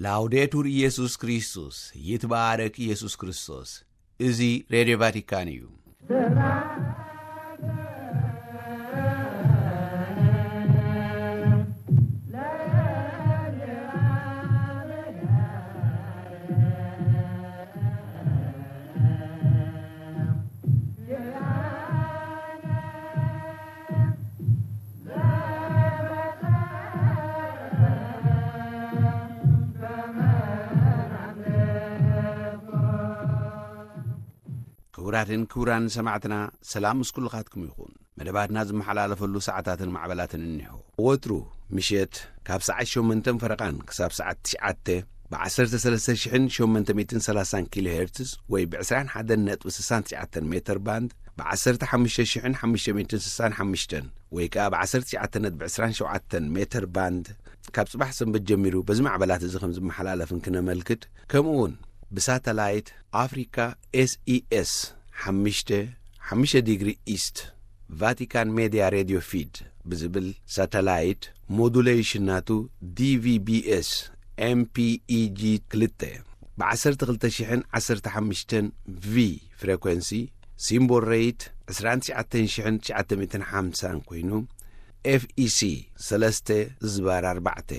ላውዴቱር ኢየሱስ ክርስቶስ፣ ይትባረክ ኢየሱስ ክርስቶስ። እዚ ሬድዮ ቫቲካን እዩ። ክቡራትን ክቡራን ሰማዕትና፣ ሰላም ምስ ኩልኻትኩም ይኹን። መደባትና ዝመሓላለፈሉ ሰዓታትን ማዕበላትን እኒሆ። ወትሩ ምሸት ካብ ሰዓት ሸሞንተን ፈረቓን ክሳብ ሰዓት ትሽዓተ ብ ዓሰርተ ሰለስተ ሽሕን ሸሞንተ ሚእትን ሰላሳን ኪሎ ሄርትዝ ወይ ብ ዕስራን ሓደን ነጥቢ ስሳን ትሽዓተን ሜተር ባንድ፣ ብ ዓሰርተ ሓሙሽተ ሽሕን ሓሙሽተ ሚእትን ስሳን ሓሙሽተን ወይ ከኣ ብ ዓሰርተ ትሽዓተ ነጥቢ ዕስራን ሸውዓተን ሜተር ባንድ፣ ካብ ጽባሕ ሰንበት ጀሚሩ በዚ ማዕበላት እዚ ከም ዝመሓላለፍን ክነመልክት፣ ከምኡ እውን ብሳተላይት ኣፍሪካ ኤስኢኤስ ሓሙሽተ፣ ሓሙሽተ ዲግሪ ኢስት፣ ቫቲካን ሜድያ ሬድዮ ፊድ ብዝብል ሳተላይት፣ ሞዱሌሽን ናቱ ዲቪቢኤስ ኤምፒኢጂ ክልተ፣ ብ ዓሰርተ ክልተ ሽሕን ዓሰርተ ሓሙሽተን ቪ ፍሬኮንሲ፣ ሲምቦል ሬት ዕስራን ትሽዓተን ሽሕን ትሽዓተ ሚእትን ሓምሳን ኮይኑ፣ ኤፍኢሲ ሰለስተ ዝባር ኣርባዕተ፣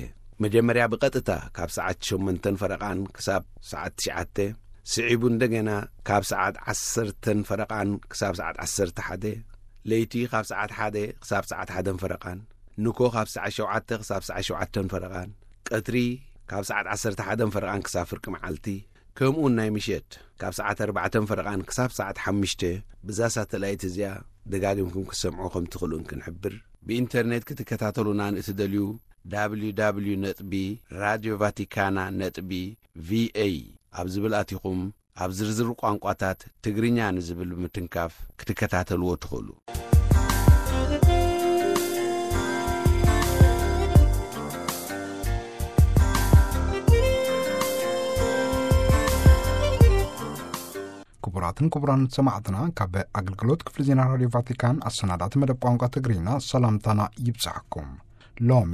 መጀመርያ ብቐጥታ ካብ ሰዓት ሸሞንተን ፈረቓን ክሳብ ሰዓት ትሽዓተ፣ ስዒቡ እንደገና ካብ ሰዓት ዓሰርተን ፈረቓን ክሳብ ሰዓት ዓሰርተ ሓደ፣ ለይቲ ካብ ሰዓት ሓደ ክሳብ ሰዓት ሓደን ፈረቓን፣ ንኮ ካብ ሰዓት ሸውዓተ ክሳብ ሰዓት ሸውዓተን ፈረቓን፣ ቀትሪ ካብ ሰዓት ዓሰርተ ሓደን ፈረቓን ክሳብ ፍርቂ መዓልቲ፣ ከምኡውን ናይ ምሸት ካብ ሰዓት ኣርባዕተን ፈረቓን ክሳብ ሰዓት ሓሙሽተ፣ ብዛ ሳተላይት እዚኣ ደጋጊምኩም ክትሰምዑ ከም ትኽእሉን ክንሕብር። ብኢንተርኔት ክትከታተሉና ንእትደልዩ፣ www ነጥቢ ራድዮ ቫቲካና ነጥቢ ቪኤ ኣብ ዝብል ኣቲኹም፣ ኣብ ዝርዝር ቋንቋታት ትግርኛ ንዝብል ብምትንካፍ ክትከታተልዎ ትኽእሉ። ክቡራትን ክቡራን ሰማዕትና፣ ካብ ኣገልግሎት ክፍሊ ዜና ራድዮ ቫቲካን ኣሰናዳእቲ መደብ ቋንቋ ትግርኛ ሰላምታና ይብጻሕኩም። ሎሚ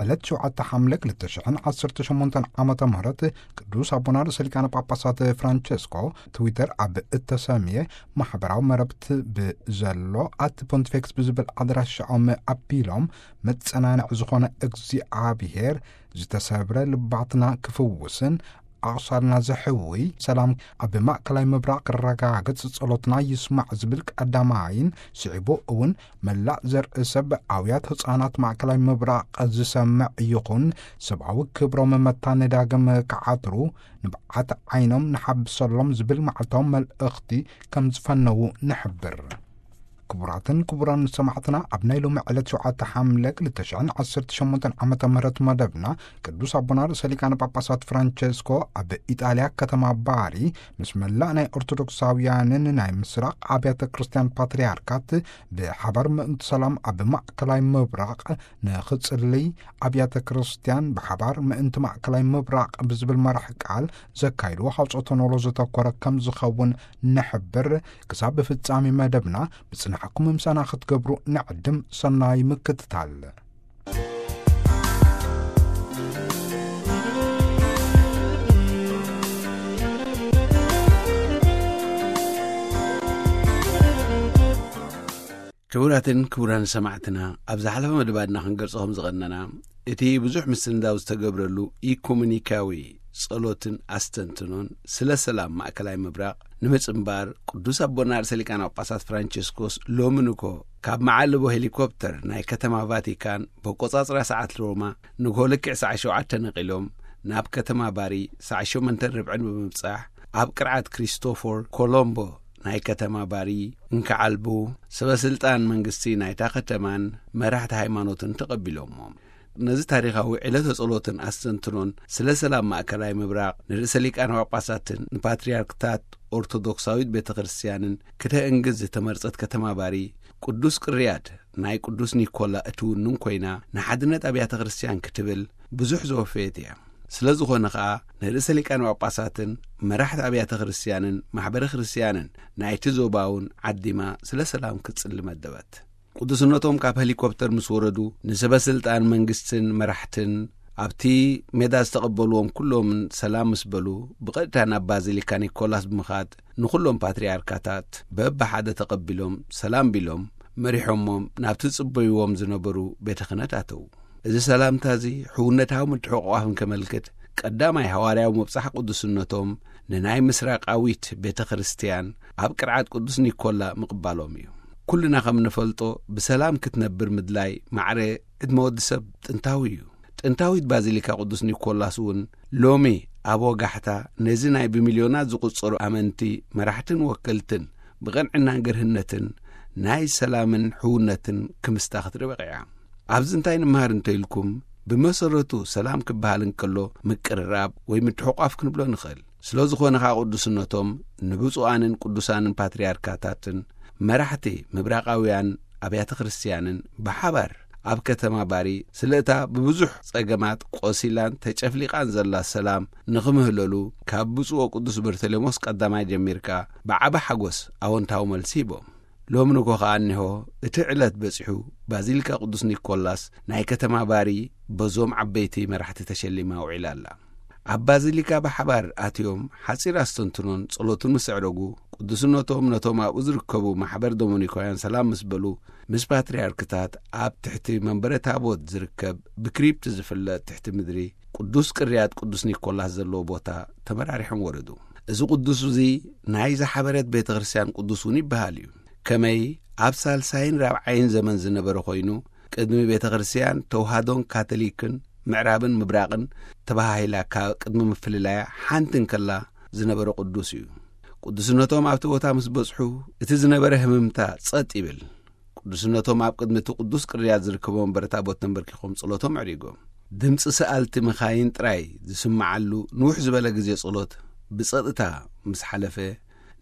ዕለት ሸውዓተ ሓምለ ክልተ ሽሕን ዓሰርተ ሸሞንተን ዓመተ ምህረት፣ ቅዱስ ኣቦና ርእሰ ሊቃነ ጳጳሳት ፍራንቸስኮ ትዊተር ኣብ እተሰምየ ማሕበራዊ መረብት ብዘሎ ኣት ፖንቲፌክስ ብዝብል ኣድራሻኦም ኣቢሎም፣ መጸናንዒ ዝኾነ እግዚኣብሔር ዝተሰብረ ልባትና ክፍውስን ኣቑሳልና ዘሕውይ ሰላም ኣብ ማእከላይ ምብራቕ ክረጋገጽ ጸሎትና ይስማዕ ዝብል ቀዳማይን፣ ስዒቡ እውን መላእ ዘርኢ ሰብ፣ ኣውያት ህጻናት ማእከላይ ምብራቕ ዝሰምዕ ይኹን፣ ሰብኣዊ ክብሮም መታን ዳግም ክዓትሩ ንብዓት ዓይኖም ንሓብሰሎም ዝብል መዓልታዊ መልእኽቲ ከም ዝፈነዉ ንሕብር። ክቡራትን ክቡራን ሰማዕትና፣ ኣብ ናይ ሎሚ ዕለት ሸውዓተ ሓምለ ክልተ ሽሕን ዓሰርተ ሸሞንተን ዓመተ ምህረት መደብና፣ ቅዱስ ኣቦና ርእሰ ሊቃነ ጳጳሳት ፍራንቸስኮ ኣብ ኢጣልያ ከተማ ባሪ ምስ መላእ ናይ ኦርቶዶክሳውያንን ናይ ምስራቕ ኣብያተ ክርስቲያን ፓትርያርካት ብሓባር ምእንቲ ሰላም ኣብ ማእከላይ ምብራቕ ንኽጽልይ፣ ኣብያተ ክርስቲያን ብሓባር ምእንቲ ማእከላይ ምብራቕ ብዝብል መራሕ ቃል ዘካይድዎ ሃውጾተ ኖሎ ዘተኮረ ከም ዝኸውን ንሕብር። ክሳብ ፍጻሜ መደብና ምጽናሕኩም ምሳና ክትገብሩ ንዕድም። ሰናይ ምክትታል። ክቡራትን ክቡራን ሰማዕትና፣ ኣብ ዝሓለፈ መደባትና ክንገልጾ ከም ዝቐነና፣ እቲ ብዙሕ ምስንዳው ዝተገብረሉ ኢኩሜኒካዊ ጸሎትን ኣስተንትኖን ስለ ሰላም ማእከላይ ምብራቕ ንምጽንባር፣ ቅዱስ ኣቦና ርእሰ ሊቃነ ጳጳሳት ፍራንቸስኮስ ሎሚ ንኮ ካብ መዓልቦ ሄሊኮፕተር ናይ ከተማ ቫቲካን፣ በቆጻጽራ ሰዓት ሮማ፣ ንግሆ ልክዕ ሰዓት ሸውዓተ ነቒሎም፣ ናብ ከተማ ባሪ ሰዓት ሸሞንተን ርብዕን ብምብጻሕ፣ ኣብ ቅርዓት ክሪስቶፎር ኮሎምቦ ናይ ከተማ ባሪ እንክዓልቡ፣ ሰበ ስልጣን መንግስቲ ናይታ ከተማን መራሕቲ ሃይማኖትን ተቐቢሎሞም። ነዚ ታሪኻዊ ዕለተ ጸሎትን ኣስተንትኖን ስለ ሰላም ማእከላይ ምብራቕ ንርእሰ ሊቃነ ጳጳሳትን ንፓትርያርክታት ኦርቶዶክሳዊት ቤተ ክርስቲያንን ክተእንግዝ ዝተመርጸት ከተማ ባሪ፣ ቅዱስ ቅርያት ናይ ቅዱስ ኒኮላ እትውንን ኮይና፣ ንሓድነት ኣብያተ ክርስቲያን ክትብል ብዙሕ ዘወፈየት እያ። ስለ ዝኾነ ኸኣ፣ ንርእሰ ሊቃነ ጳጳሳትን መራሕቲ ኣብያተ ክርስቲያንን ማሕበረ ክርስቲያንን ናይቲ ዞባ እውን ዓዲማ ስለ ሰላም ክትጽሊ መደበት። ቅዱስነቶም ካብ ሄሊኮፕተር ምስ ወረዱ፣ ንሰበ ስልጣን መንግስትን መራሕትን ኣብቲ ሜዳ ዝተቐበልዎም ኩሎምን ሰላም ምስ በሉ፣ ብቐጥታ ናብ ባዚሊካ ኒኮላስ ብምኻድ፣ ንኹሎም ፓትርያርካታት በብሓደ ተቐቢሎም፣ ሰላም ቢሎም፣ መሪሖሞም ናብቲ ጽበይዎም ዝነበሩ ቤተ ክህነት ኣተዉ። እዚ ሰላምታ እዚ ሕውነታዊ ምትሕቑቋፍን ከመልክት፣ ቀዳማይ ሃዋርያዊ ምብጻሕ ቅዱስነቶም ንናይ ምስራቃዊት ቤተ ክርስቲያን ኣብ ቅርዓት ቅዱስ ኒኮላ ምቕባሎም እዩ። ኩልና ከም ንፈልጦ፣ ብሰላም ክትነብር ምድላይ ማዕረ ዕድመ ወዲ ሰብ ጥንታዊ እዩ። ጥንታዊት ባዚሊካ ቅዱስ ኒኮላስ እውን ሎሚ ኣብ ወጋሕታ ነዚ ናይ ብሚልዮናት ዝቑጸሩ ኣመንቲ፣ መራሕትን ወከልትን ብቐንዕናን ገርህነትን ናይ ሰላምን ሕውነትን ክምስታ ክትርኢ በቒዓ። ኣብዚ እንታይ ንምሃር እንተ ኢልኩም፣ ብመሰረቱ ሰላም ክበሃል እንከሎ ምቅርራብ ወይ ምትሕቋፍ ክንብሎ ንኽእል። ስለ ዝኾነ ኸኣ ቅዱስነቶም ንብፁዓንን ቅዱሳንን ፓትርያርካታትን መራሕቲ ምብራቓውያን ኣብያተ ክርስቲያንን ብሓባር ኣብ ከተማ ባሪ ስለ እታ ብብዙሕ ጸገማት ቆሲላን ተጨፍሊቓን ዘላ ሰላም ንኽምህለሉ ካብ ብፁዕ ወቅዱስ በርተሌሞስ ቀዳማይ ጀሚርካ ብዓቢ ሓጎስ ኣወንታዊ መልሲ ሂቦም። ሎሚ ንጎ ኸኣ እኒሆ እቲ ዕለት በጺሑ ባዚሊካ ቅዱስ ኒኮላስ ናይ ከተማ ባሪ በዞም ዓበይቲ መራሕቲ ተሸሊማ ውዒላ ኣላ። ኣብ ባዚሊካ ብሓባር ኣትዮም ሓጺር ኣስተንትኖን ጸሎትን ምስ ኣዕረጉ፣ ቅዱስነቶም ነቶም ኣብኡ ዝርከቡ ማሕበር ዶሚኒካውያን ሰላም ምስ በሉ፣ ምስ ፓትርያርክታት ኣብ ትሕቲ መንበረ ታቦት ዝርከብ ብክሪፕት ዝፍለጥ ትሕቲ ምድሪ ቅዱስ ቅርያት ቅዱስ ኒኮላስ ዘለዎ ቦታ ተመራሪሖም ወረዱ። እዚ ቅዱስ እዚ ናይ ዝሓበረት ቤተ ክርስቲያን ቅዱስ እውን ይበሃል እዩ። ከመይ ኣብ ሳልሳይን ራብዓይን ዘመን ዝነበረ ኮይኑ፣ ቅድሚ ቤተ ክርስቲያን ተዋህዶን ካቶሊክን ምዕራብን ምብራቕን ተባሃሂላ ካብ ቅድሚ ምፍልላያ ሓንቲ እንከላ ዝነበረ ቅዱስ እዩ። ቅዱስነቶም ኣብቲ ቦታ ምስ በጽሑ፣ እቲ ዝነበረ ህምምታ ጸጥ ይብል። ቅዱስነቶም ኣብ ቅድሚ እቲ ቅዱስ ቅርያት ዝርከቦ መንበረ ታቦት ተንበርኪኾም ጸሎቶም ኣዕሪጎም። ድምጺ ሰኣልቲ መኻይን ጥራይ ዝስምዓሉ ንውሕ ዝበለ ግዜ ጸሎት ብጸጥታ ምስ ሓለፈ፣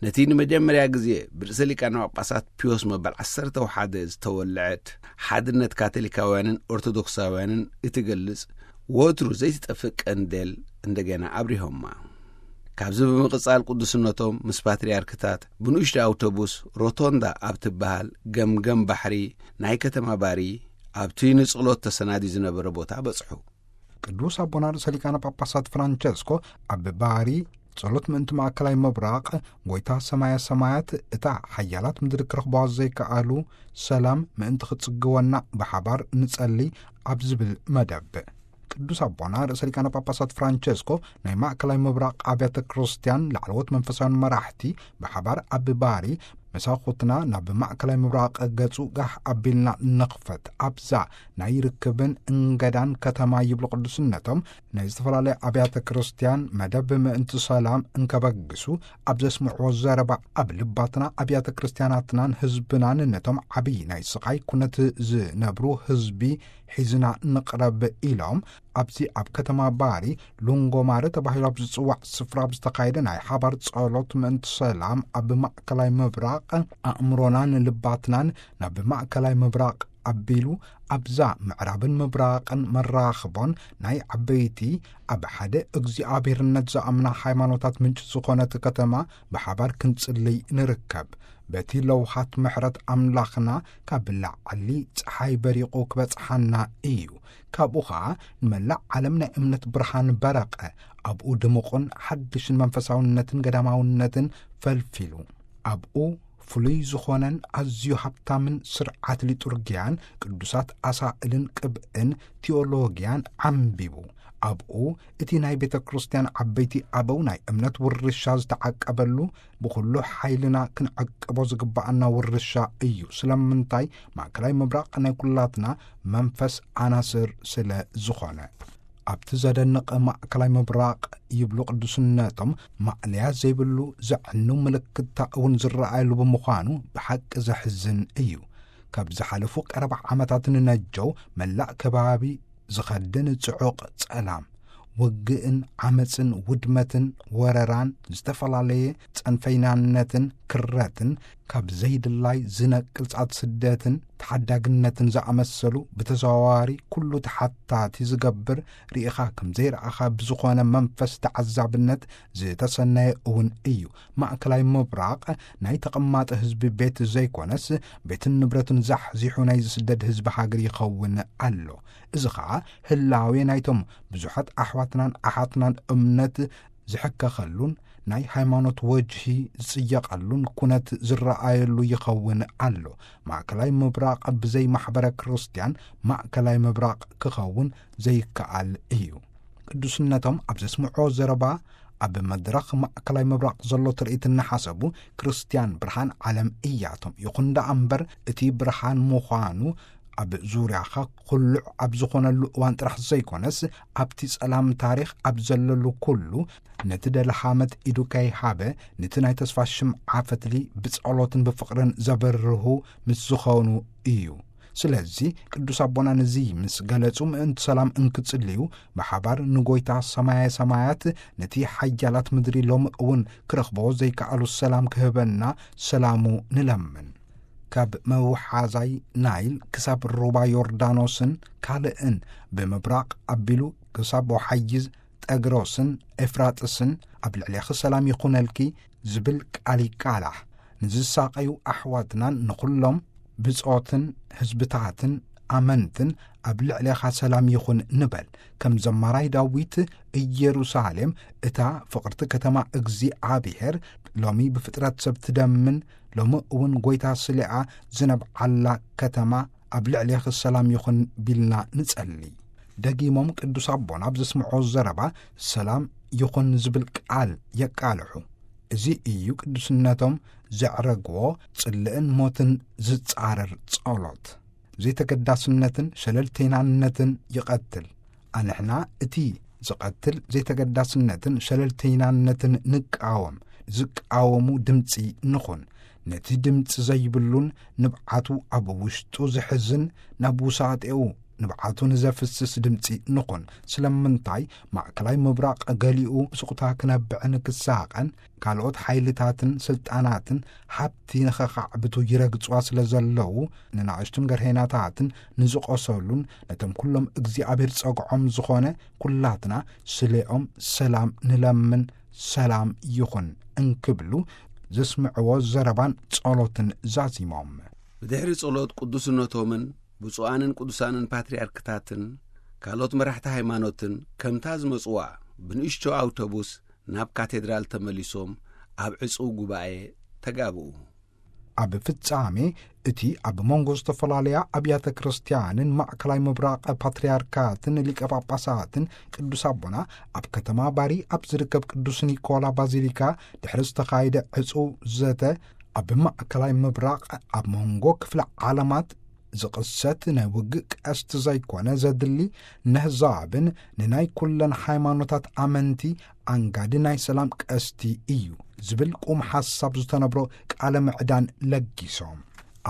ነቲ ንመጀመርያ ግዜ ብርእሰ ሊቃነ ጳጳሳት ፒዮስ መበል ዓሰርተ ሓደ ዝተወልዐት ሓድነት ካቶሊካውያንን ኦርቶዶክሳውያንን እትገልጽ ወትሩ ዘይትጠፍእ ቀንዴል እንደገና ኣብሪሆማ። ካብዚ ብምቕጻል ቅዱስነቶም ምስ ፓትርያርክታት ብንኡሽቶ ኣውቶቡስ ሮቶንዳ ኣብ ትበሃል ገምገም ባሕሪ ናይ ከተማ ባሪ ኣብቲ ንጸሎት ተሰናድዩ ዝነበረ ቦታ በጽሑ። ቅዱስ ኣቦና ርእሰ ሊቃነ ጳጳሳት ፍራንቸስኮ ኣብ ባሪ ጸሎት ምእንቲ ማእከላይ ምብራቕ፣ ጎይታ ሰማያ ሰማያት እታ ሓያላት ምድሪ ክረኽብዋ ዘይከኣሉ ሰላም ምእንቲ ክትጽግወና ብሓባር ንጸሊ ኣብ ዝብል መደብ፣ ቅዱስ ኣቦና ርእሰ ሊቃነ ጳጳሳት ፍራንቸስኮ ናይ ማእከላይ ምብራቕ ኣብያተ ክርስቲያን ላዕለዎት መንፈሳውያን መራሕቲ ብሓባር ኣብ ባሪ መሳኹትና ናብ ማእከላይ ምብራቕ ገጹ ጋሕ ኣቢልና ንኽፈት ኣብዛ ናይ ርክብን እንገዳን ከተማ ይብሉ ቅዱስነቶም፣ ናይ ዝተፈላለያ ኣብያተ ክርስቲያን መደብ ምእንቲ ሰላም እንከበግሱ ኣብ ዘስምዕዎ ዘረባ፣ ኣብ ልባትና ኣብያተ ክርስቲያናትናን ህዝብናን ነቶም ዓብዪ ናይ ስቓይ ኩነት ዝነብሩ ህዝቢ ሒዝና ንቕረብ ኢሎም፣ ኣብዚ ኣብ ከተማ ባሪ ሉንጎማረ ተባሂሉ ኣብ ዝጽዋዕ ስፍራ ኣብ ዝተኻየደ ናይ ሓባር ጸሎት ምእንቲ ሰላም ኣብ ማእከላይ ምብራቕ ኣእምሮናን ልባትናን ናብ ማእከላይ ምብራቕ ኣቢሉ ኣብዛ ምዕራብን ምብራቕን መራኽቦን ናይ ዓበይቲ ኣብ ሓደ እግዚኣብሔርነት ዝኣምና ሃይማኖታት ምንጪ ዝኾነት ከተማ ብሓባር ክንጽልይ ንርከብ። በቲ ለውሃት ምሕረት ኣምላኽና ካብ ላዕሊ ጸሓይ በሪቑ ክበጽሓና እዩ። ካብኡ ኸኣ ንመላእ ዓለም ናይ እምነት ብርሃን በረቐ። ኣብኡ ድሙቕን ሓድሽን መንፈሳውነትን ገዳማውነትን ፈልፊሉ። ኣብኡ ፍሉይ ዝኾነን ኣዝዩ ሃብታምን ስርዓት ሊጡርጊያን ቅዱሳት ኣሳእልን ቅብእን ቲዮሎጊያን ዓምቢቡ። ኣብኡ እቲ ናይ ቤተ ክርስቲያን ዓበይቲ ኣበው ናይ እምነት ውርሻ ዝተዓቀበሉ፣ ብኹሉ ሓይልና ክንዕቅቦ ዝግብኣና ውርሻ እዩ። ስለምንታይ? ማእከላይ ምብራቕ ናይ ኩላትና መንፈስ ኣናስር ስለ ዝኾነ። ኣብቲ ዘደንቕ ማእከላይ ምብራቕ ይብሉ ቅዱስነቶም፣ ማእለያ ዘይብሉ ዘዕኑ ምልክታ እውን ዝረኣየሉ ብምዃኑ ብሓቂ ዘሕዝን እዩ። ካብ ዝሓለፉ ቀረባ ዓመታት ንነጀው መላእ ከባቢ ዝኸድን ጽዑቕ ጸላም፣ ውግእን ዓመጽን ውድመትን ወረራን ዝተፈላለየ ጸንፈይናነትን ክረትን ካብ ዘይድላይ ዝነቅል ጻት ስደትን ተሓዳግነትን ዝኣመሰሉ ብተዘዋዋሪ ኩሉ ተሓታቲ ዝገብር፣ ርኢኻ ከም ዘይረኣኻ ብዝኾነ መንፈስ ተዓዛብነት ዝተሰነየ እውን እዩ። ማእከላይ ምብራቕ ናይ ተቐማጠ ህዝቢ ቤት ዘይኮነስ፣ ቤትን ንብረትን ዛሕዚሑ ናይ ዝስደድ ህዝቢ ሃገር ይኸውን ኣሎ። እዚ ኸኣ ህላዌ ናይቶም ብዙሓት ኣሕዋትናን ኣሓትናን እምነት ዝሕከኸሉን ናይ ሃይማኖት ወጅሂ ዝጽየቐሉን ኩነት ዝረኣየሉ ይኸውን ኣሎ። ማእከላይ ምብራቕ ብዘይ ማሕበረ ክርስትያን ማእከላይ ምብራቕ ክኸውን ዘይከኣል እዩ። ቅዱስነቶም ኣብ ዘስምዖ ዘረባ፣ ኣብ መድረኽ ማእከላይ ምብራቕ ዘሎ ትርኢት እናሓሰቡ፣ ክርስትያን ብርሃን ዓለም እያቶም። ይኹን ደኣ እምበር፣ እቲ ብርሃን ምዃኑ ኣብ ዙርያኻ ኩሉዕ ኣብ ዝኾነሉ እዋን ጥራሕ ዘይኮነስ፣ ኣብቲ ጸላም ታሪኽ ኣብ ዘለሉ ኩሉ፣ ነቲ ደልሃመት ኢዱ ከይሃበ፣ ነቲ ናይ ተስፋ ሽምዓ ፈትሊ ብጸሎትን ብፍቕርን ዘበርሁ ምስ ዝኾኑ እዩ። ስለዚ ቅዱስ ኣቦና ነዚ ምስ ገለጹ፣ ምእንቲ ሰላም እንክጽልዩ፣ ብሓባር ንጎይታ ሰማየ ሰማያት፣ ነቲ ሓያላት ምድሪ ሎሚ እውን ክረኽቦ ዘይከኣሉ ሰላም ክህበና ሰላሙ ንለምን። ካብ መውሓዛይ ናይል ክሳብ ሩባ ዮርዳኖስን ካልእን፣ ብምብራቕ ኣቢሉ ክሳብ ወሓይዝ ጠግሮስን ኤፍራጥስን፣ ኣብ ልዕሌኺ ሰላም ይኹነልኪ ዝብል ቃል ይቃላሕ። ንዝሳቐዩ ኣሕዋትናን ንኹሎም ብጾትን ህዝብታትን ኣመንትን ኣብ ልዕሌኻ ሰላም ይኹን ንበል። ከም ዘማራይ ዳዊት፣ ኢየሩሳሌም እታ ፍቕርቲ ከተማ እግዚኣብሔር፣ ሎሚ ብፍጥረት ሰብ ትደምን፣ ሎሚ እውን ጎይታ ስሊኣ ዝነብዓላ ከተማ፣ ኣብ ልዕሌኺ ሰላም ይኹን ቢልና ንጸሊ። ደጊሞም ቅዱስ ኣቦና ኣብ ዘስምዖ ዘረባ፣ ሰላም ይኹን ዝብል ቃል የቃልሑ። እዚ እዩ ቅዱስነቶም ዘዕረግዎ ጽልእን ሞትን ዝጻረር ጸሎት። ዘይተገዳስነትን ሸለልተይናነትን ይቐትል። ኣንሕና እቲ ዝቐትል ዘይተገዳስነትን ሸለልተይናነትን ንቃወም። ዝቃወሙ ድምጺ ንኹን። ነቲ ድምጺ ዘይብሉን ንብዓቱ ኣብ ውሽጡ ዝሕዝን፣ ናብ ውሳጤኡ ንብዓቱ ንዘፍስስ ድምጺ ንኹን። ስለምንታይ ማእከላይ ምብራቕ ገሊኡ ስቕታ ክነብዕን ክሳቐን፣ ካልኦት ሓይልታትን ስልጣናትን ሃብቲ ንኸኻዕብቱ ይረግጽዋ ስለ ዘለዉ፣ ንናእሽቱን ገርሄናታትን ንዝቖሰሉን፣ ነቶም ኩሎም እግዚኣብሔር ጸግዖም ዝኾነ፣ ኩላትና ስሌኦም ሰላም ንለምን፣ ሰላም ይኹን እንክብሉ ዘስምዕዎ ዘረባን ጸሎትን ዛዚሞም። ብድሕሪ ጸሎት ቅዱስነቶምን ብፁዓንን ቅዱሳንን ፓትርያርክታትን ካልኦት መራሕቲ ሃይማኖትን ከምታ ዝመጽዋ ብንእሽቶ ኣውቶቡስ ናብ ካቴድራል ተመሊሶም ኣብ ዕጹው ጉባኤ ተጋብኡ። ኣብ ፍጻሜ እቲ ኣብ መንጎ ዝተፈላለያ ኣብያተ ክርስቲያንን ማእከላይ ምብራቕ ፓትርያርካትን ሊቀ ጳጳሳትን ቅዱስ ኣቦና ኣብ ከተማ ባሪ ኣብ ዝርከብ ቅዱስ ኒኮላ ባዚሊካ ድሕሪ ዝተኻየደ ዕጹው ዘተ፣ ኣብ ማእከላይ ምብራቕ ኣብ መንጎ ክፍለ ዓለማት ዝቕሰት ናይ ውግእ ቀስቲ ዘይኮነ ዘድሊ፣ ነህዛብን ንናይ ኩለን ሃይማኖታት ኣመንቲ ኣንጋዲ ናይ ሰላም ቀስቲ እዩ ዝብል ቁም ሓሳብ ዝተነብሮ ቃለ ምዕዳን ለጊሶም።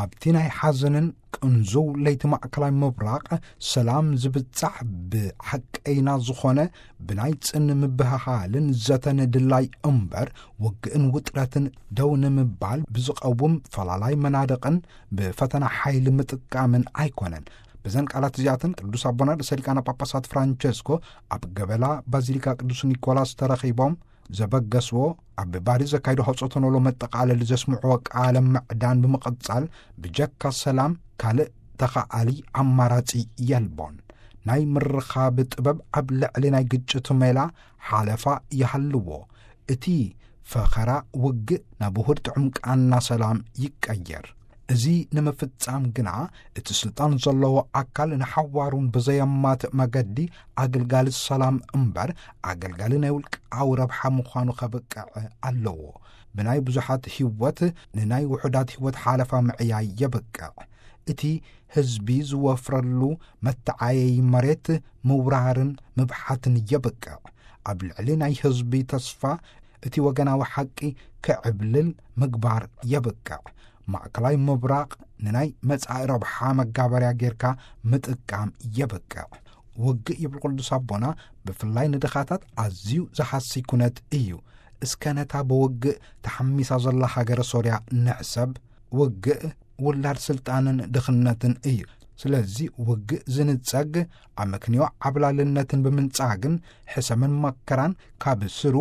ኣብቲ ናይ ሓዘንን ቅንዙው ለይቲ ማእከላይ ምብራቕ ሰላም ዝብጻሕ ብሓቀይና ዝኾነ ብናይ ጽን ምብህሃልን ዘተን ድላይ እምበር፣ ውግእን ውጥረትን ደው ንምባል ብዝቐውም ፈላላይ መናድቕን ብፈተና ሓይሊ ምጥቃምን ኣይኮነን። በዘን ቃላት እዚኣተን ቅዱስ ኣቦና ርእሰ ሊቃነ ጳጳሳት ፍራንቸስኮ ኣብ ገበላ ባዚሊካ ቅዱስ ኒኮላስ ተረኺቦም ዘበገስዎ፣ ኣብ ባሪ ዘካይዶ ሆጾቶኖሎ መጠቓለሊ ዘስምዕዎ ቃለ ምዕዳን ብምቕጻል፣ ብጀካ ሰላም ካልእ ተኻኣሊ ኣማራጺ የልቦን። ናይ ምርኻብ ጥበብ ኣብ ልዕሊ ናይ ግጭት ሜላ ሓለፋ ይሃልዎ። እቲ ፈኸራ ውግእ ናብ ውሁድ ጥዑም ቃና ሰላም ይቀየር። እዚ ንምፍጻም ግና፣ እቲ ስልጣን ዘለዎ ኣካል ንሓዋሩን ብዘየማትእ መገዲ ኣገልጋሊ ሰላም እምበር፣ ኣገልጋሊ ናይ ውልቃዊ ረብሓ ምዃኑ ከብቅዕ ኣለዎ። ብናይ ብዙሓት ህይወት ንናይ ውሑዳት ህይወት ሓለፋ ምዕያይ የብቅዕ። እቲ ህዝቢ ዝወፍረሉ መተዓየዪ መሬት ምውራርን ምብሓትን የብቅዕ። ኣብ ልዕሊ ናይ ህዝቢ ተስፋ እቲ ወገናዊ ሓቂ ክዕብልል ምግባር የብቅዕ። ማእከላይ ምብራቕ ንናይ መጻኢ ረብሓ መጋበርያ ጌርካ ምጥቃም የብቅዕ። ውግእ፣ ይብል ቅዱስ ኣቦና፣ ብፍላይ ንድኻታት ኣዝዩ ዝሃሲ ኩነት እዩ። እስከ ነታ ብውግእ ተሓሚሳ ዘላ ሃገረ ሶርያ ንሕሰብ። ውግእ ውላድ ስልጣንን ድኽነትን እዩ። ስለዚ ውግእ ዝንጸግ ኣመክንዮ ዓብላልነትን ብምንጻግን ሕሰምን መከራን ካብ ስሩ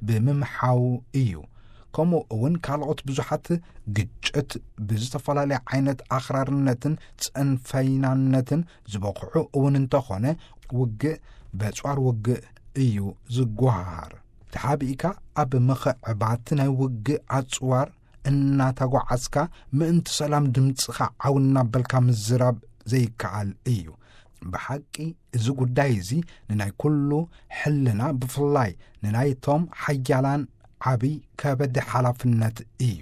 ብምምሓው እዩ። ከምኡ እውን ካልኦት ብዙሓት ግጭት ብዝተፈላለየ ዓይነት ኣኽራርነትን ጽንፈይናነትን ዝበቕዑ እውን እንተኾነ ውግእ በጽዋር ውግእ እዩ ዝጓሃር። ተሓቢእካ ኣብ ምኽዕባት ናይ ውግእ ኣጽዋር እናተጓዓዝካ ምእንቲ ሰላም ድምፅኻ ዓው እናበልካ ምዝራብ ዘይከኣል እዩ። ብሓቂ እዚ ጉዳይ እዚ ንናይ ኩሉ ሕልና፣ ብፍላይ ንናይቶም ሓያላን ዓብይ ከበድ ሓላፍነት እዩ።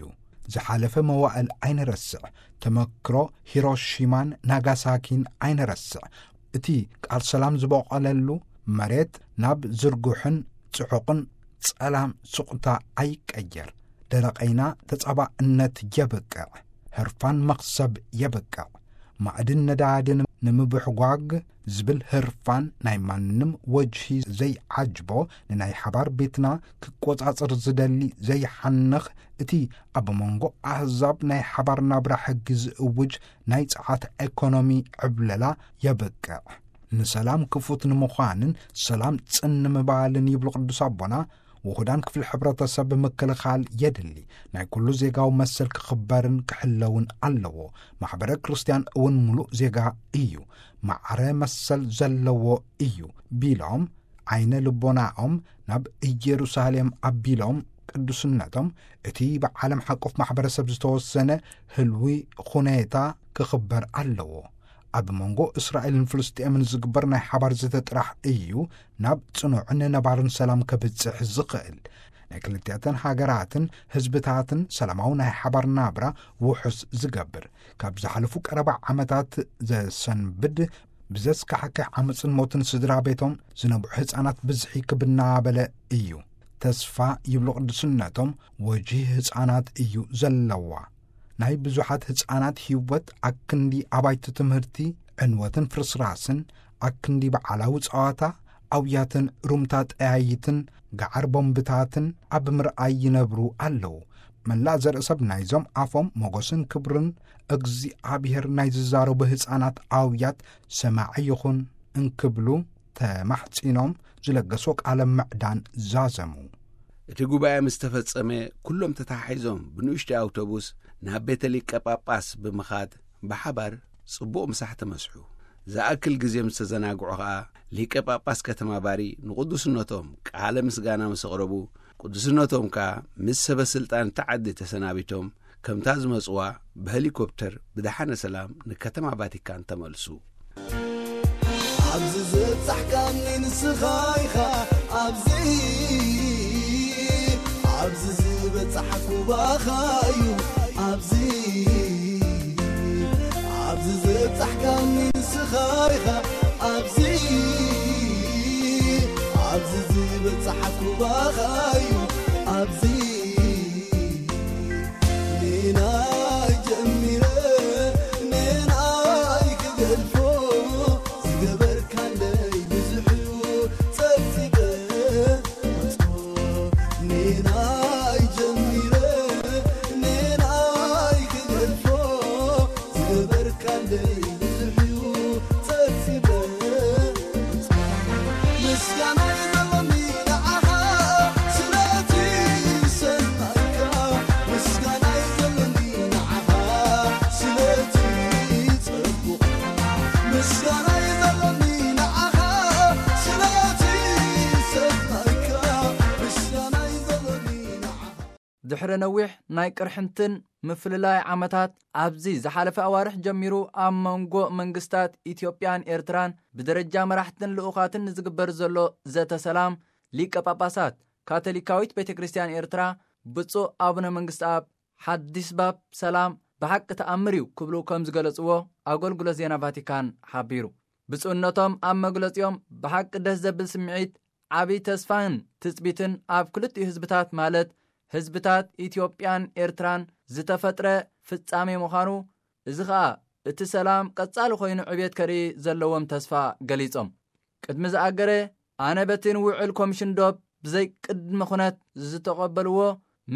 ዝሓለፈ መዋእል ኣይንረስዕ። ተመክሮ ሂሮሺማን ናጋሳኪን ኣይንረስዕ። እቲ ቃል ሰላም ዝበቖለሉ መሬት ናብ ዝርጉሕን ጽዑቕን ጸላም ሱቕታ ኣይቀየር። ደረቐይና ተጻባእነት የብቅዕ። ህርፋን መኽሰብ የብቅዕ። ማዕድን ነዳድን ንምብሕጓግ ዝብል ህርፋን ናይ ማንም ወጅሂ ዘይዓጅቦ፣ ንናይ ሓባር ቤትና ክቆጻጸር ዝደሊ ዘይሓንኽ፣ እቲ ኣብ መንጎ ኣህዛብ ናይ ሓባር ናብራ ሕጊ ዝእውጅ ናይ ጸዓት ኤኮኖሚ ዕብለላ የብቅዕ። ንሰላም ክፉት ንምዃንን ሰላም ጽን ንምባልን ይብሉ ቅዱስ ኣቦና፣ ውሑዳን ክፍሊ ሕብረተሰብ ምክልኻል የድሊ። ናይ ኩሉ ዜጋዊ መሰል ክኽበርን ክሕለውን ኣለዎ። ማሕበረ ክርስቲያን እውን ምሉእ ዜጋ እዩ፣ ማዕረ መሰል ዘለዎ እዩ ቢሎም ዓይነ ልቦናኦም ናብ ኢየሩሳሌም ኣቢሎም ቅዱስነቶም እቲ ብዓለም ሓቆፍ ማሕበረሰብ ዝተወሰነ ህልዊ ኹኔታ ክኽበር ኣለዎ። ኣብ መንጎ እስራኤልን ፍልስጤምን ዝግበር ናይ ሓባር ዘተ ጥራሕ እዩ ናብ ጽኑዕን ነባርን ሰላም ከብጽሕ ዝኽእል። ናይ ክልቲኣተን ሃገራትን ህዝብታትን ሰላማዊ ናይ ሓባር ናብራ ውሑስ ዝገብር። ካብ ዝሓለፉ ቀረባ ዓመታት ዘሰንብድ ብዘስካሕክሕ ዓመፅን ሞትን ስድራ ቤቶም ዝነብዑ ህፃናት ብዝሒ ክብናበለ እዩ። ተስፋ ይብሉ ቅዱስነቶም፣ ወጂ ህፃናት እዩ ዘለዋ። ናይ ብዙሓት ህፃናት ህይወት ኣክንዲ ኣባይቲ ትምህርቲ፣ ዕንወትን ፍርስራስን፣ ኣክንዲ በዓላዊ ፀዋታ፣ ኣውያትን ሩምታ ጠያይትን፣ ገዓር ቦምብታትን ኣብ ምርኣይ ይነብሩ ኣለዉ። መላእ ዘርኢ ሰብ ናይዞም ኣፎም ሞገስን ክብርን እግዚኣብሔር ናይ ዝዛረቡ ህፃናት ኣውያት ሰማዒ ይኹን እንክብሉ ተማሕጺኖም ዝለገሶ ቃለ ምዕዳን ዛዘሙ። እቲ ጉባኤ ምስ ተፈጸመ፣ ኩሎም ተተሓሒዞም ብንኡሽተይ ኣውቶቡስ ናብ ቤተ ሊቀ ጳጳስ ብምኻድ ብሓባር ጽቡቕ ምሳሕ ተመስሑ። ዝኣክል ግዜ ምስ ተዘናግዑ ኸኣ፣ ሊቀ ጳጳስ ከተማ ባሪ ንቕዱስነቶም ቃለ ምስጋና ምስ ኣቕረቡ፣ ቅዱስነቶም ከኣ ምስ ሰበ ስልጣን እታ ዓዲ ተሰናቢቶም፣ ከምታ ዝመጽዋ ብሄሊኮፕተር ብደሓነ ሰላም ንከተማ ቫቲካን ተመልሱ። ኣብዚ ዝበጻሕካኒ ንስኻ ኢኻ፣ ኣብዚ፣ ኣብዚ ዝበጻሕኩ ባኻ እዩ፣ ኣብዚ፣ ኣብዚ ዝበጻሕካኒ ንስኻ ኢኻ፣ ኣብዚ፣ ኣብዚ ዝበጻሕኩ ባኻ እዩ፣ ኣብዚ። ንናይ ጀሚረ ንናይ ክገድፎ፣ ዝገበርካለይ ብዙሕ እዩ ጸብጺበ። ንናይ ጀሚረ ንናይ ክገድፎ፣ ዝገበርካለይ ብዙሕ እዩ ጸብጺበ። ምስጋና ይዘለኒ ንዓኻ ስለቲ ሰናይካ፣ ምስጋና ይዘለኒ ንዓኻ ስለቲ ጸቡቕ፣ ምስጋና ይዘለኒ ንዓኻ ስለቲ ሰናይካ፣ ምስጋና ይዘለኒ ንዓኻ። ድሕሪ ነዊሕ ናይ ቅርሕንትን ምፍልላይ ዓመታት፣ ኣብዚ ዝሓለፈ ኣዋርሕ ጀሚሩ ኣብ መንጎ መንግስታት ኢትዮጵያን ኤርትራን ብደረጃ መራሕትን ልኡኻትን ንዝግበር ዘሎ ዘተ ሰላም፣ ሊቀ ጳጳሳት ካቶሊካዊት ቤተ ክርስቲያን ኤርትራ ብፁዕ ኣቡነ መንግስትኣብ ሓዲስ ባብ ሰላም ብሓቂ ተኣምር እዩ ክብሉ ከም ዝገለጽዎ ኣገልግሎት ዜና ቫቲካን ሓቢሩ። ብፁዕነቶም ኣብ መግለጺኦም ብሓቂ ደስ ዘብል ስምዒት ዓቢ ተስፋን ትጽቢትን ኣብ ክልቲኡ ህዝብታት፣ ማለት ህዝብታት ኢትዮጵያን ኤርትራን ዝተፈጥረ ፍጻሜ ምዃኑ፣ እዚ ኸኣ እቲ ሰላም ቀጻሊ ኮይኑ ዕብየት ከርኢ ዘለዎም ተስፋ ገሊጾም። ቅድሚ ዝኣገረ፣ ኣነ በቲ ንውዕል ኮሚሽን ዶብ ብዘይ ቅድመ ኩነት ዝተቐበልዎ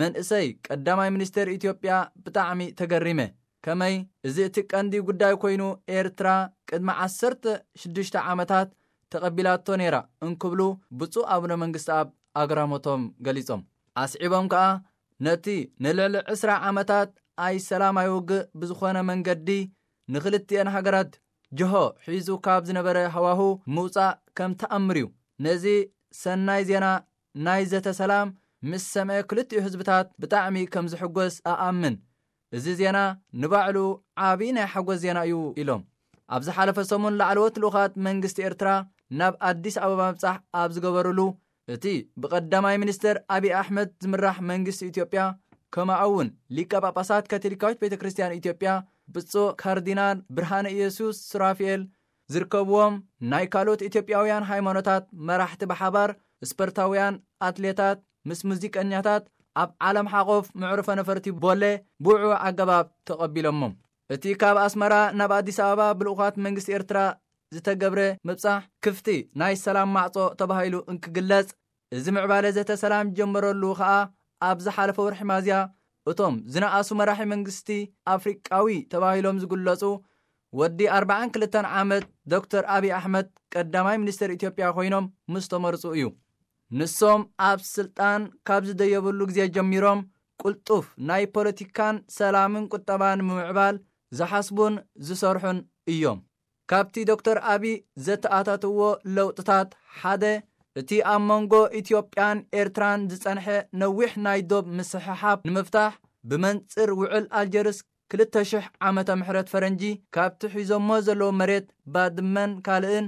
መንእሰይ ቀዳማይ ሚኒስትር ኢትዮጵያ ብጣዕሚ ተገሪመ። ከመይ እዚ እቲ ቀንዲ ጉዳይ ኮይኑ ኤርትራ ቅድሚ ዓሰርተ ሽዱሽተ ዓመታት ተቐቢላቶ ነይራ እንክብሉ ብፁዕ ኣቡነ መንግስቲ ኣብ ኣግራሞቶም ገሊጾም። ኣስዒቦም ከኣ ነቲ ንልዕሊ ዕስራ ዓመታት ኣይ ሰላም ኣይ ውግእ ብዝኾነ መንገዲ ንክልቲኤን ሃገራት ጅሆ ሒዙ ካብ ዝነበረ ሃዋሁ ምውጻእ ከም ተኣምር እዩ። ነዚ ሰናይ ዜና ናይ ዘተ ሰላም ምስ ሰምዐ ክልቲኡ ህዝብታት ብጣዕሚ ከም ዝሕጎስ ኣኣምን። እዚ ዜና ንባዕሉ ዓቢ ናይ ሓጎስ ዜና እዩ ኢሎም። ኣብ ዝሓለፈ ሰሙን ላዕለዎት ልኡኻት መንግስቲ ኤርትራ ናብ ኣዲስ ኣበባ ምብጻሕ ኣብ ዝገበሩሉ እቲ ብቀዳማይ ሚኒስትር ኣቢ ኣሕመድ ዝምራሕ መንግስቲ ኢትዮጵያ ከምኡ እውን ሊቀ ጳጳሳት ካቶሊካዊት ቤተ ክርስቲያን ኢትዮጵያ ብፁዕ ካርዲናል ብርሃነ ኢየሱስ ሱራፊኤል ዝርከብዎም ናይ ካልኦት ኢትዮጵያውያን ሃይማኖታት መራሕቲ ብሓባር ስፖርታውያን ኣትሌታት ምስ ሙዚቀኛታት ኣብ ዓለም ሓቆፍ መዕርፎ ነፈርቲ ቦሌ ብውዕዉዕ ኣገባብ ተቐቢሎሞም። እቲ ካብ ኣስመራ ናብ ኣዲስ ኣበባ ብልኡኻት መንግስቲ ኤርትራ ዝተገብረ ምብጻሕ ክፍቲ ናይ ሰላም ማዕጾ ተባሂሉ እንክግለጽ፣ እዚ ምዕባለ ዘተ ሰላም ጀመረሉ ከኣ ኣብ ዝሓለፈ ወርሒ ሚያዝያ እቶም ዝነኣሱ መራሒ መንግስቲ ኣፍሪቃዊ ተባሂሎም ዝግለጹ ወዲ ኣርባዓን ክልተን ዓመት ዶክተር ኣቢ ኣሕመድ ቀዳማይ ሚኒስትር ኢትዮጵያ ኮይኖም ምስ ተመርጹ እዩ። ንሶም ኣብ ስልጣን ካብ ዝደየብሉ ግዜ ጀሚሮም ቅልጡፍ ናይ ፖለቲካን ሰላምን ቁጠባን ንምምዕባል ዝሓስቡን ዝሰርሑን እዮም። ካብቲ ዶክተር ኣቢ ዘተኣታትዎ ለውጥታት ሓደ እቲ ኣብ መንጎ ኢትዮጵያን ኤርትራን ዝጸንሐ ነዊሕ ናይ ዶብ ምስሕሓብ ንምፍታሕ ብመንጽር ውዕል ኣልጀርስ ክልተ ሽሕ ዓመተ ምሕረት ፈረንጂ ካብቲ ሒዞሞ ዘለዉ መሬት ባድመን ካልእን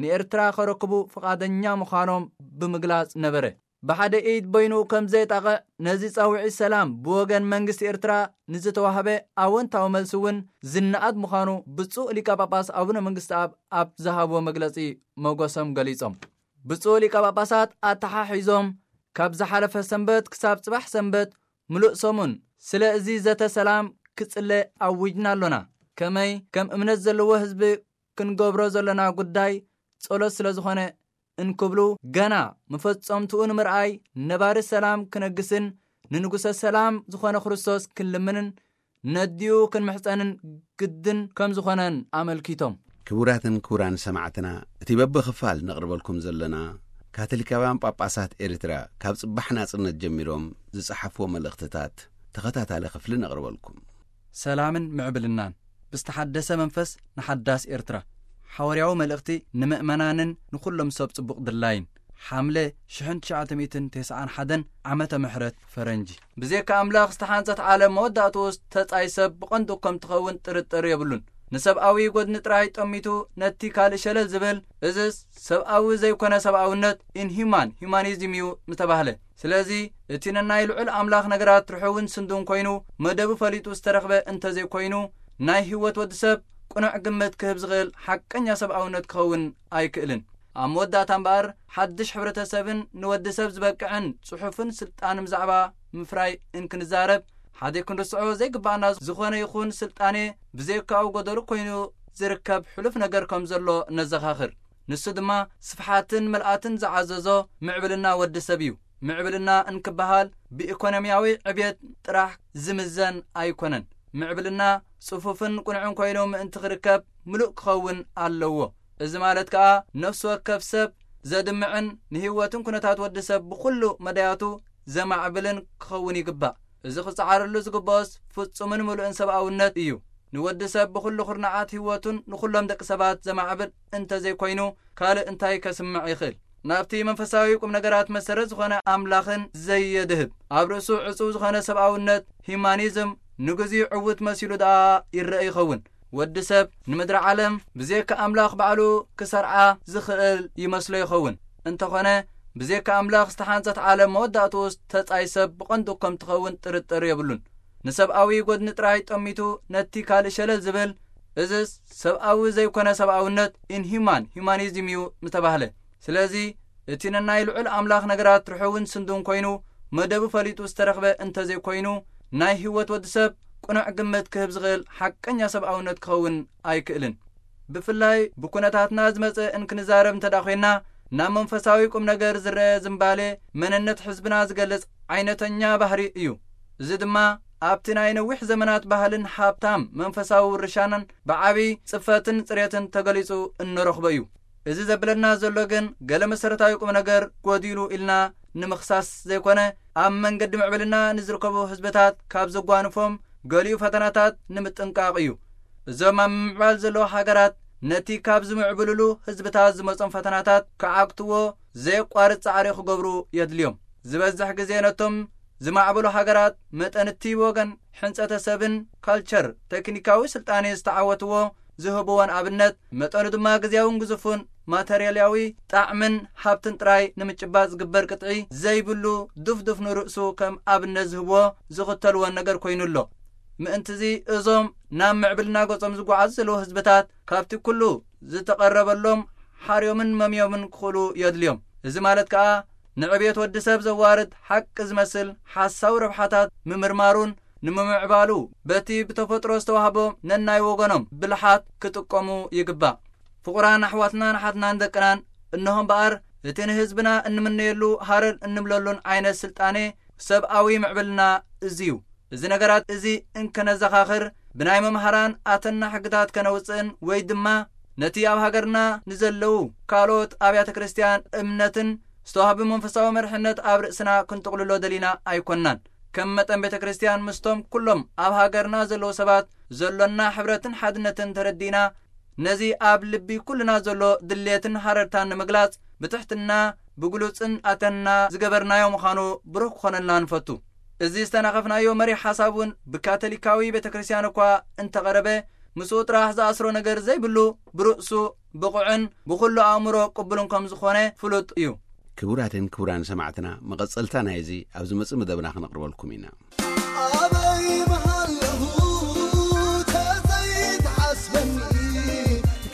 ንኤርትራ ከረክቡ ፍቓደኛ ምዃኖም ብምግላጽ ነበረ። ብሓደ ኢድ በይኑ ከም ዘየጣቕዕ ነዚ ጻውዒት ሰላም ብወገን መንግስቲ ኤርትራ ንዝተዋህበ ኣወንታዊ መልሲ እውን ዝነኣድ ምዃኑ ብፁዕ ሊቀ ጳጳስ ኣቡነ መንግስቲ ኣብ ኣብ ዝሃብዎ መግለጺ መጎሶም ገሊጾም። ብፁዕ ሊቀ ጳጳሳት ኣተሓሒዞም ካብ ዝሓለፈ ሰንበት ክሳብ ጽባሕ ሰንበት ምሉእ ሰሙን ስለ እዚ ዘተ ሰላም ክጽለ ኣዊጅና ኣሎና። ከመይ ከም እምነት ዘለዎ ህዝቢ ክንገብሮ ዘለና ጉዳይ ጸሎት ስለ ዝኾነ እንክብሉ ገና መፈጸምትኡ ንምርኣይ ነባሪ ሰላም ክነግስን ንንጉሰ ሰላም ዝኾነ ክርስቶስ ክንልምንን ነዲኡ ክንምሕጸንን ግድን ከም ዝኾነን ኣመልኪቶም። ክቡራትን ክቡራን ሰማዕትና፣ እቲ በብኽፋል ነቕርበልኩም ዘለና ካቶሊካውያን ጳጳሳት ኤርትራ ካብ ጽባሕ ናጽነት ጀሚሮም ዝጸሓፍዎ መልእኽትታት ተኸታታሊ ክፍሊ ነቕርበልኩም። ሰላምን ምዕብልናን ብዝተሓደሰ መንፈስ ንሓዳስ ኤርትራ። ሓዋርያዊ መልእኽቲ ንምእመናንን ንኹሎም ሰብ ጽቡቕ ድላይን። ሓምለ ሽሕን ትሽዓተ ሚእትን ተስዓን ሓደን ዓመተ ምሕረት ፈረንጂ። ብዜካ ኣምላኽ ዝተሓንጸት ዓለም መወዳእትኡ ተጻይ ሰብ ብቐንዱ ከም ትኸውን ጥርጥር የብሉን። ንሰብኣዊ ጎድኒ ጥራይ ጠሚቱ ነቲ ካልእ ሸለል ዝብል፣ እዝስ ሰብኣዊ ዘይኮነ ሰብኣውነት፣ ኢንሂማን ሂማኒዝም እዩ ምተባህለ። ስለዚ እቲ ነናይ ልዑል ኣምላኽ ነገራት ርሑውን ስንዱን ኮይኑ፣ መደቡ ፈሊጡ ዝተረኽበ እንተዘይኮይኑ፣ ናይ ህይወት ወዲ ሰብ ቅኑዕ ግምት ክህብ ዝኽእል ሓቀኛ ሰብኣውነት ክኸውን ኣይክእልን። ኣብ መወዳእታ እምበኣር፣ ሓድሽ ሕብረተሰብን ንወዲ ሰብ ዝበቅዕን ጽሑፍን ስልጣን ብዛዕባ ምፍራይ እንክንዛረብ፣ ሓደ ክንርስዖ ዘይግባኣና ዝኾነ ይኹን ስልጣኔ ብዘይካኡ ጎደሎ ኮይኑ ዝርከብ ሕሉፍ ነገር ከም ዘሎ ነዘኻኽር። ንሱ ድማ ስፍሓትን ምልኣትን ዝዓዘዞ ምዕብልና ወዲ ሰብ እዩ። ምዕብልና እንክበሃል ብኢኮኖሚያዊ ዕብየት ጥራሕ ዝምዘን ኣይኮነን። ምዕብልና ጽፉፍን ቅኑዕን ኮይኑ ምእንቲ ክርከብ ምሉእ ክኸውን ኣለዎ። እዚ ማለት ከኣ ነፍሲ ወከፍ ሰብ ዘድምዕን ንህይወትን ኩነታት ወዲ ሰብ ብኹሉ መዳያቱ ዘማዕብልን ክኸውን ይግባእ። እዚ ክጸዓረሉ ዝግብኦስ ፍጹምን ምሉእን ሰብኣውነት እዩ። ንወዲ ሰብ ብኹሉ ኩርናዓት ህይወቱን ንኹሎም ደቂ ሰባት ዘማዕብል እንተዘይኮይኑ ካልእ እንታይ ከስምዕ ይኽእል? ናብቲ መንፈሳዊ ቁም ነገራት መሰረት ዝኾነ ኣምላኽን ዘየድህብ ኣብ ርእሱ ዕጹው ዝኾነ ሰብኣውነት ሂማኒዝም ንግዚኡ ዕዉት መሲሉ ደኣ ይረአ ይኸውን። ወዲ ሰብ ንምድሪ ዓለም ብዜካ ኣምላኽ ባዕሉ ክሰርዓ ዝኽእል ይመስሎ ይኸውን። እንተኾነ ብዜካ ኣምላኽ ዝተሓንጸት ዓለም መወዳእትኡስ ተጻይ ሰብ ብቐንዱ ከም ትኸውን ጥርጥር የብሉን። ንሰብኣዊ ጎድኒ ጥራይ ጠሚቱ ነቲ ካልእ ሸለል ዝብል፣ እዝስ ሰብኣዊ ዘይኮነ ሰብኣውነት፣ ኢንሂማን ሂማኒዝም እዩ ምተባህለ። ስለዚ እቲ ነናይ ልዑል ኣምላኽ ነገራት ርሑውን ስንዱን ኮይኑ መደቡ ፈሊጡ ዝተረኽበ እንተዘይኮይኑ ናይ ህይወት ወዲ ሰብ ቅኑዕ ግምት ክህብ ዝኽእል ሓቀኛ ሰብኣውነት ክኸውን ኣይክእልን። ብፍላይ ብኩነታትና ዝመጸ እንክንዛረብ እንተ ደኣ ኮይንና ናብ መንፈሳዊ ቁም ነገር ዝረአ ዝምባሌ፣ መንነት ህዝብና ዝገልጽ ዓይነተኛ ባህሪ እዩ። እዚ ድማ ኣብቲ ናይ ነዊሕ ዘመናት ባህልን ሃብታም መንፈሳዊ ውርሻናን ብዓቢ ጽፈትን ጽሬትን ተገሊጹ እንረኽቦ እዩ። እዚ ዘብለና ዘሎ ግን፣ ገለ መሰረታዊ ቁም ነገር ጎዲሉ ኢልና ንምኽሳስ ዘይኮነ፣ ኣብ መንገዲ ምዕብልና ንዝርከቡ ህዝብታት ካብ ዘጓንፎም ገሊኡ ፈተናታት ንምጥንቃቕ እዩ። እዞም ኣብ ምምዕባል ዘለዉ ሃገራት፣ ነቲ ካብ ዝምዕብልሉ ህዝብታት ዝመጾም ፈተናታት ክዓግትዎ ዘየቋርጽ ጻዕሪ ክገብሩ የድልዮም። ዝበዝሕ ግዜ ነቶም ዝማዕበሉ ሃገራት፣ መጠን እቲ ወገን ሕንጸተ ሰብን ካልቸር፣ ቴክኒካዊ ስልጣኔ ዝተዓወትዎ ዝህብዎን ኣብነት፣ መጠኑ ድማ ግዜያውን ግዙፉን ማተርያልያዊ ጣዕምን ሃብትን ጥራይ ንምጭባጥ ዝግበር ቅጥዒ ዘይብሉ፣ ዱፍዱፍ ንርእሱ ከም ኣብነት ዝህብዎ ዝኽተልዎን ነገር ኮይኑ ኣሎ። ምእንትዚ፣ እዞም ናብ ምዕብልና ገጾም ዝጓዓዙ ዘለዉ ህዝብታት፣ ካብቲ ኩሉ ዝተቐረበሎም ሓርዮምን መምዮምን ክኽእሉ የድልዮም። እዚ ማለት ከኣ፣ ንዕብየት ወዲ ሰብ ዘዋርድ ሓቂ ዝመስል ሓሳዊ ረብሓታት ምምርማሩን ንምምዕባሉ፣ በቲ ብተፈጥሮ ዝተዋህቦም ነናይ ወገኖም ብልሓት ክጥቀሙ ይግባእ። ፍቑራን ኣሕዋትናን ኣሓትናን ደቅናን፣ እንሆ እምበኣር፣ እቲ ንህዝብና እንምነየሉ ሃረር እንብለሉን ዓይነት ስልጣኔ ሰብኣዊ ምዕብልና እዚ እዩ። እዚ ነገራት እዚ እንከነዘኻኽር፣ ብናይ መምሃራን ኣተና ሕግታት ከነውጽእን ወይ ድማ ነቲ ኣብ ሃገርና ንዘለዉ ካልኦት ኣብያተ ክርስቲያን እምነትን ዝተዋህቡ መንፈሳዊ መርሕነት ኣብ ርእስና ክንጥቕልሎ ደሊና ኣይኮንናን። ከም መጠን ቤተ ክርስቲያን ምስቶም ኩሎም ኣብ ሃገርና ዘለዉ ሰባት ዘሎና ሕብረትን ሓድነትን ተረዲእና፣ ነዚ ኣብ ልቢ ኩልና ዘሎ ድሌትን ሃረርታን ንምግላጽ ብትሕትና ብግሉጽን ኣተና ዝገበርናዮ ምዃኑ ብሩህ ክኾነልና ንፈቱ። እዚ ዝተናኸፍናዮ መሪሕ ሓሳብ እውን ብካቶሊካዊ ቤተ ክርስቲያን እኳ እንተቐረበ፣ ምስኡ ጥራሕ ዝኣስሮ ነገር ዘይብሉ፣ ብርእሱ ብቑዕን ብኹሉ ኣእምሮ ቅቡልን ከም ዝኾነ ፍሉጥ እዩ። ክቡራትን ክቡራን ሰማዕትና፣ መቐጸልታ ናይዚ ኣብ ዝመጽእ መደብና ክነቕርበልኩም ኢና። ኣበይ ምሃለኹ ተዘይትሓስበኒ፣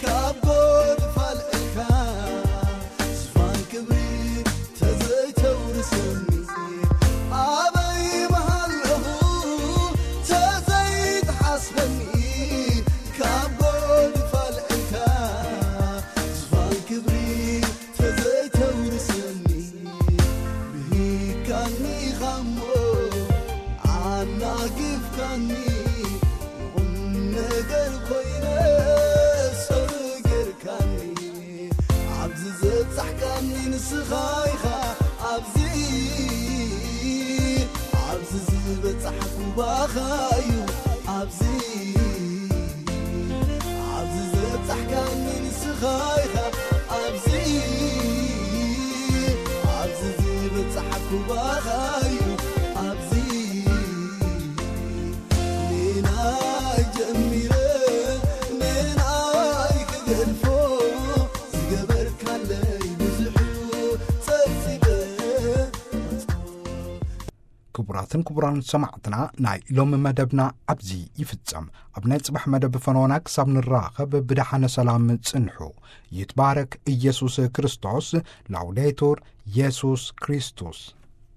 ካብ ጎድፋል እካ ዝፋን ክብሪ ተዘይተውርሰኒ። ኣበይ ምሃለኹ ተዘይትሓስበኒ፣ ካብ ጎድፋል እካ ዝፋን ክብሪ ተዘይተውርሰኒ። ብሂካኒ ኻሞ ኣናጊፍካኒ፣ ቁም ነገር ኮይነ ሰሩ ጌርካኒ። ኣብዚ ዘብጻሕካኒ ንስኻ ኢኻ፣ ኣብዚ፣ ኣብዚ ዝበጻሕኩ ባኻ እዩ፣ ኣብዚ፣ ኣብዚ ዘብጻሕካኒ ንስኻ ኢኻ፣ ኣብዚ፣ ኣብዚ ዝበጻሕኩ ባኻ እዩ፣ ኣብዚ። ንናይ ጀሚረ ንናይ ክገድፎ፣ ዝገበርካለይ ብዙሕ ጸብጺበ። ክቡራትን ክቡራን ሰማዕትና፣ ናይ ሎሚ መደብና ኣብዚ ይፍጸም። ኣብ ናይ ጽባሕ መደብ ፈኖና ክሳብ ንራኸብ ብደሓነ ሰላም ጽንሑ። ይትባረክ ኢየሱስ ክርስቶስ። ላውዴቱር ኢየሱስ ክርስቶስ።